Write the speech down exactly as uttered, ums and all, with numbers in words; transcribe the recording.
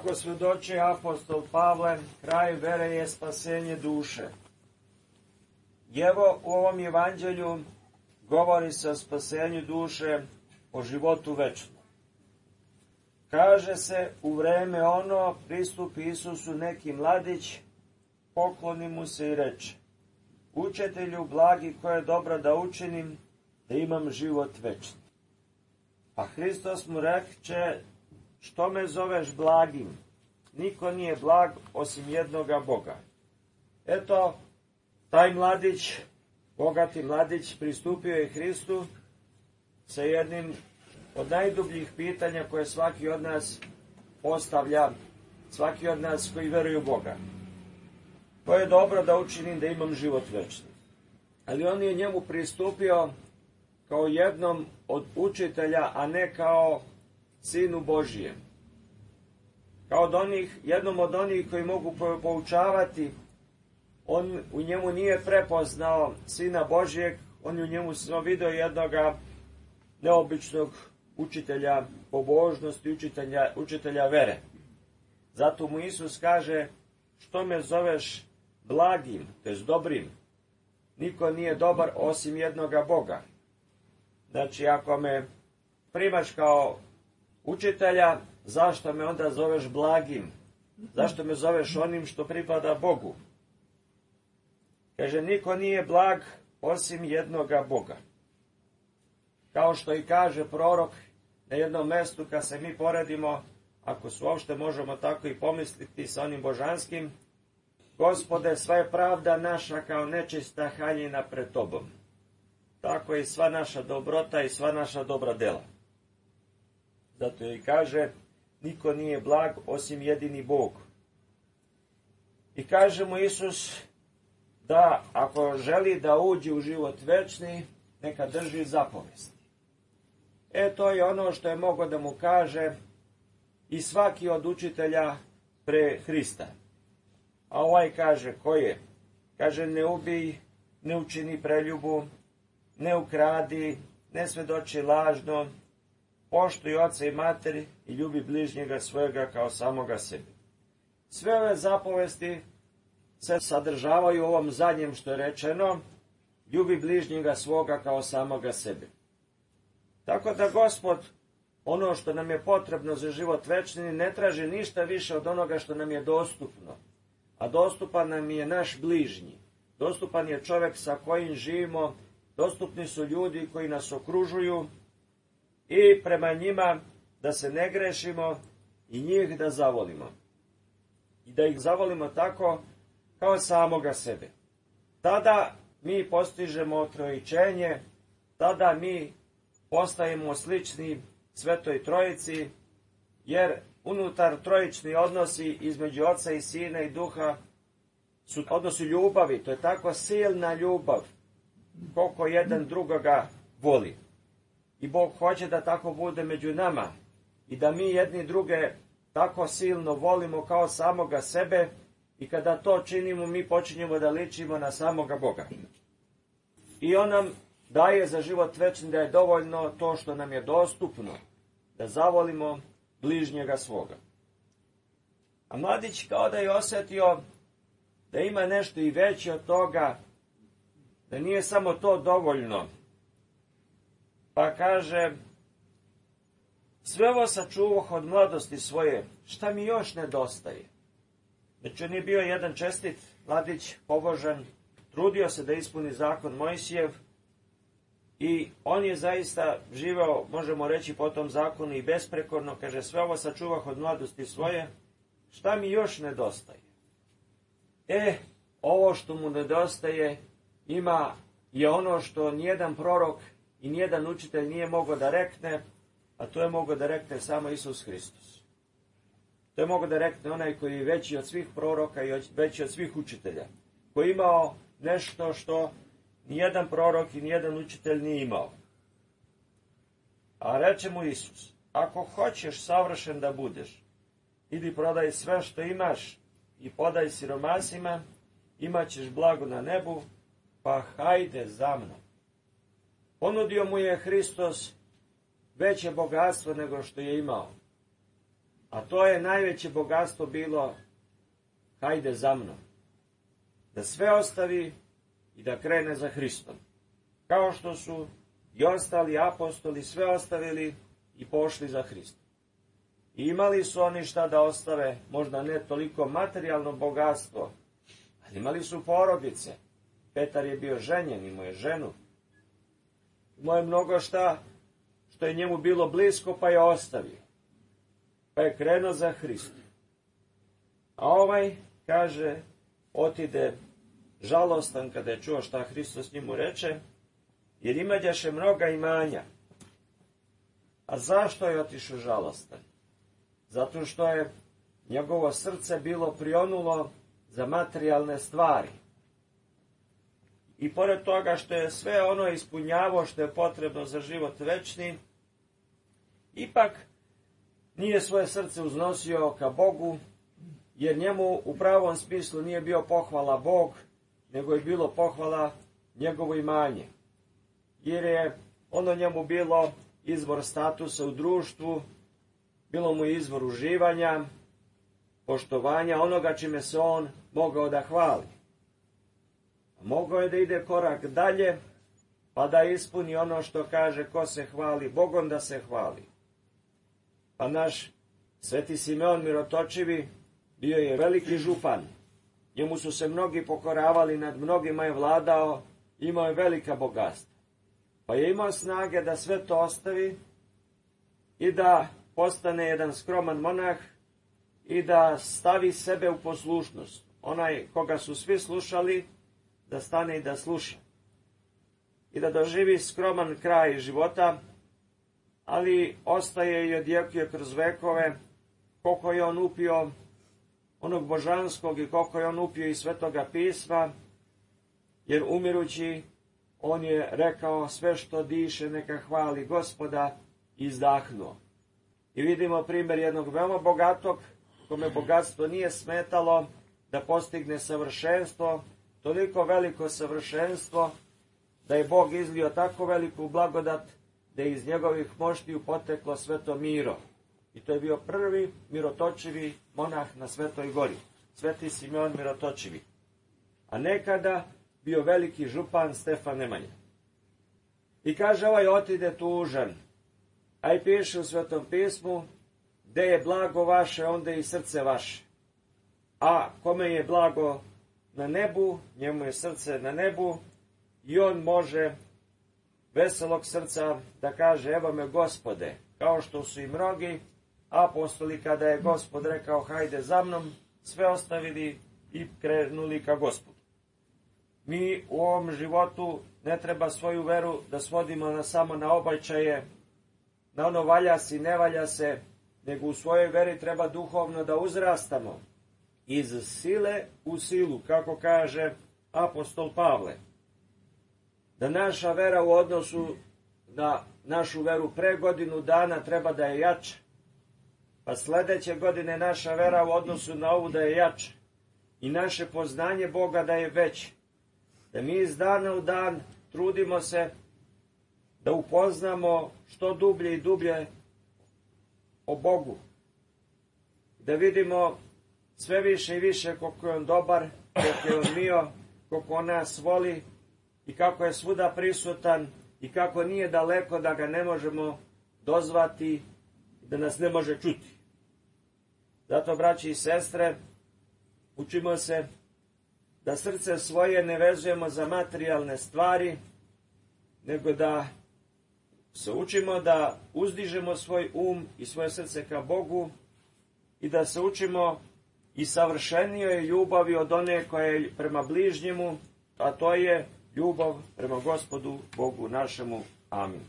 Kako svjedoči apostol Pavle, kraj vere je spasenje duše. I evo u ovom evanđelju govori se o spasenju duše, o životu večnom. Kaže se, u vreme ono pristupi Isusu neki mladić, pokloni mu se i reče: Učitelju blagi, koje je dobro da učinim, da imam život večni. A Hristos mu reče: Što me zoveš blagim? Niko nije blag osim jednoga Boga. Eto, taj mladić, bogati mladić, pristupio je Hristu sa jednim od najdubljih pitanja koje svaki od nas postavlja, svaki od nas koji veruju u Boga. To je dobro da učinim da imam život večni. Ali on je njemu pristupio kao jednom od učitelja, a ne kao Sinu Božijem. Kao od onih, jednom od onih koji mogu poučavati. On u njemu nije prepoznao Sina Božijeg, on je u njemu samo vidio jednoga neobičnog učitelja pobožnosti, učitelja, učitelja vere. Zato mu Isus kaže: Što me zoveš blagim, to jest dobrim? Niko nije dobar osim jednoga Boga. Znači, ako me primaš kao učitelja, zašto me onda zoveš blagim? Zašto me zoveš onim što pripada Bogu? Kaže, niko nije blag osim jednoga Boga. Kao što i kaže prorok na jednom mestu, kad se mi poredimo, ako se uopšte možemo tako i pomisliti sa onim božanskim: Gospode, sva je pravda naša kao nečista haljina pred tobom. Tako je i sva naša dobrota i sva naša dobra dela. Zato i kaže, niko nije blag osim jedini Bog. I kaže mu Isus da ako želi da uđe u život večni, neka drži zapovesti. E, to je ono što je mogao da mu kaže i svaki od učitelja pre Hrista. A ovaj kaže, ko je? Kaže, ne ubij, ne učini preljubu, ne ukradi, ne svedoči lažno, poštuj oca i materi i ljubi bližnjega svojega kao samoga sebe. Sve ove zapovesti se sadržavaju u ovom zadnjem što je rečeno: ljubi bližnjega svoga kao samoga sebe. Tako da Gospod, ono što nam je potrebno za život večni, ne traži ništa više od onoga što nam je dostupno. A dostupan nam je naš bližnji. Dostupan je čovjek sa kojim živimo, dostupni su ljudi koji nas okružuju i prema njima da se ne grešimo i njih da zavolimo. I da ih zavolimo tako kao samoga sebe. Tada mi postižemo otrojičenje, tada mi postajemo slični Svetoj Trojici, jer unutar trojični odnosi između Oca i Sina i Duha su odnosi ljubavi. To je tako silna ljubav, koliko jedan drugoga voli. I Bog hoće da tako bude među nama i da mi jedni druge tako silno volimo kao samoga sebe, i kada to činimo, mi počinjemo da ličimo na samoga Boga. I on nam daje za život večni da je dovoljno to što nam je dostupno, da zavolimo bližnjega svoga. A mladić kao da je osjetio da ima nešto i veće od toga, da nije samo to dovoljno. Pa kaže, sve ovo sačuvah od mladosti svoje, šta mi još nedostaje? Znači, on je bio jedan čestit mladić, pobožan, trudio se da ispuni zakon Mojsijev i on je zaista živeo, možemo reći, po tom zakonu i besprekorno. Kaže, sve ovo sačuvah od mladosti svoje, šta mi još nedostaje? E, ovo što mu nedostaje ima je ono što nijedan prorok i nijedan učitelj nije mogao da rekne, a to je mogao da rekne samo Isus Hristos. To je mogao da rekne onaj koji je veći od svih proroka i veći od svih učitelja, koji je imao nešto što nijedan prorok i nijedan učitelj nije imao. A reče mu Isus, ako hoćeš savršen da budeš, idi prodaj sve što imaš i podaj siromasima, imat ćeš blago na nebu, pa hajde za mnom. Ponudio mu je Hristos veće bogatstvo nego što je imao. A to je najveće bogatstvo bilo, hajde za mnom. Da sve ostavi i da krene za Hristom. Kao što su i ostali apostoli sve ostavili i pošli za Hristom. I imali su oni šta da ostave, možda ne toliko materijalno bogatstvo, ali imali su porodice. Petar je bio ženjen, imao je ženu. Imao je mnogo šta što je njemu bilo blisko, pa je ostavio. Pa je krenuo za Hristom. A ovaj, kaže, otide žalostan kada je čuo šta Hristos njemu reče, jer imađaše mnoga imanja. A zašto je otišao žalostan? Zato što je njegovo srce bilo prionulo za materijalne stvari. I pored toga što je sve ono ispunjavao što je potrebno za život večni, ipak nije svoje srce uznosio ka Bogu, jer njemu u pravom smislu nije bio pohvala Bog, nego je bilo pohvala njegovo imanje. Jer je ono njemu bilo izvor statusa u društvu, bilo mu izvor uživanja, poštovanja, onoga čime se on mogao da hvali. Mogao je da ide korak dalje, pa da ispuni ono što kaže ko se hvali Bogom da se hvali. Pa naš Sveti Simeon Mirotočivi bio je veliki župan. Njemu su se mnogi pokoravali, nad mnogima je vladao, imao je velika bogatstva. Pa je imao snage da sve to ostavi i da postane jedan skroman monah i da stavi sebe u poslušnost. Onaj koga su svi slušali, da stane i da sluša. I da doživi skroman kraj života, ali ostaje i odjekuje kroz vekove koliko je on upio onog božanskog i koliko je on upio i Svetoga pisma, jer umirući on je rekao sve što diše neka hvali Gospoda i izdahnuo. I vidimo primjer jednog veoma bogatog, kome bogatstvo nije smetalo da postigne savršenstvo, toliko veliko savršenstvo da je Bog izlio tako veliku blagodat da je iz njegovih moštiju poteklo sveto miro. I to je bio prvi mirotočivi monah na Svetoj gori, Sveti Simeon Mirotočivi. A nekada bio veliki župan Stefan Nemanja. I kaže ovaj otide tužan, a i piše u Svetom pismu, gde je blago vaše, onda je i srce vaše. A kome je blago na nebu, njemu je srce na nebu i on može veselog srca da kaže evo me Gospode, kao što su i mnogi apostoli kada je Gospod rekao hajde za mnom, sve ostavili i krenuli ka Gospodu. Mi u ovom životu ne treba svoju veru da svodimo na, samo na običaje, na ono valja se i ne valja se, nego u svojoj veri treba duhovno da uzrastamo iz sile u silu, kako kaže apostol Pavle. Da naša vera u odnosu na našu veru pre godinu dana treba da je jača, pa sledeće godine naša vera u odnosu na ovu da je jača i naše poznanje Boga da je veće. Da mi iz dana u dan trudimo se da upoznamo što dublje i dublje o Bogu. Da vidimo sve više i više koliko je on dobar, koliko je on mio, koliko on nas voli i kako je svuda prisutan i kako nije daleko da ga ne možemo dozvati, da nas ne može čuti. Zato, braći i sestre, učimo se da srce svoje ne vezujemo za materijalne stvari, nego da se učimo da uzdižemo svoj um i svoje srce ka Bogu i da se učimo i savršenijoj ljubavi od one koja je prema bližnjemu, a to je ljubav prema Gospodu Bogu našemu. Amin.